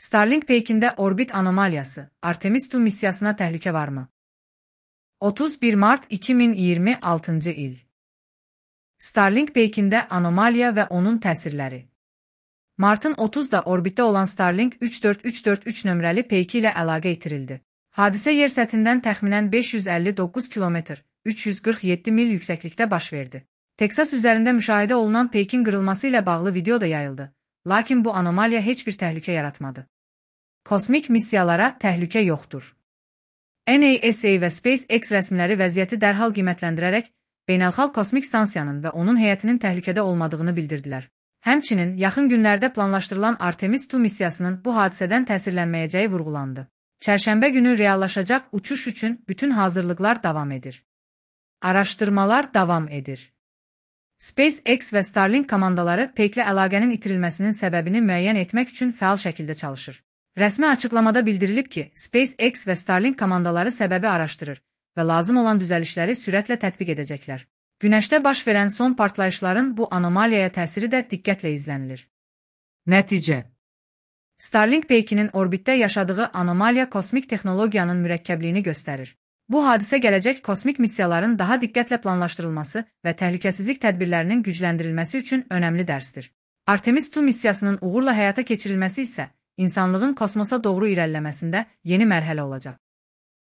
Starlink Peykində orbit anomaliyası, Artemis II missiyasına təhlükə varmı? 31 mart 2026 il. Starlink Peykində anomaliya və onun təsirləri. Martın 30-da orbitdə olan Starlink 34343 nömrəli peyki ilə əlaqə itirildi. Hadisə yer səthindən təxminən 559 km, 347 mil yüksəklikdə baş verdi. Teksas üzərində müşahidə olunan peykin qırılması ilə bağlı video da yayıldı. Lakin bu anomaliya heç bir təhlükə yaratmadı. Kosmik missiyalara təhlükə yoxdur. NASA və SpaceX rəsmiləri vəziyyəti dərhal qiymətləndirərək, beynəlxalq kosmik stansiyanın və onun heyətinin təhlükədə olmadığını bildirdilər. Həmçinin, yaxın günlərdə planlaşdırılan Artemis II missiyasının bu hadisədən təsirlənməyəcəyi vurğulandı. Çərşənbə günü reallaşacaq uçuş üçün bütün hazırlıqlar davam edir. Araşdırmalar davam edir. SpaceX və Starlink komandaları peyklə əlaqənin itirilməsinin səbəbini müəyyən etmək üçün fəal şəkildə çalışır. Rəsmi açıqlamada bildirilib ki, SpaceX və Starlink komandaları səbəbi araşdırır və lazım olan düzəlişləri sürətlə tətbiq edəcəklər. Günəşdə baş verən son partlayışların bu anomaliyaya təsiri də diqqətlə izlənilir. Nəticə: Starlink peykinin orbitdə yaşadığı anomaliya kosmik texnologiyanın mürəkkəbliyini göstərir. Bu hadisə gələcək kosmik missiyaların daha diqqətlə planlaşdırılması və təhlükəsizlik tədbirlərinin gücləndirilməsi üçün önəmli dərsdir. Artemis II missiyasının uğurla həyata keçirilməsi isə insanlığın kosmosa doğru irəliləməsində yeni mərhələ olacaq.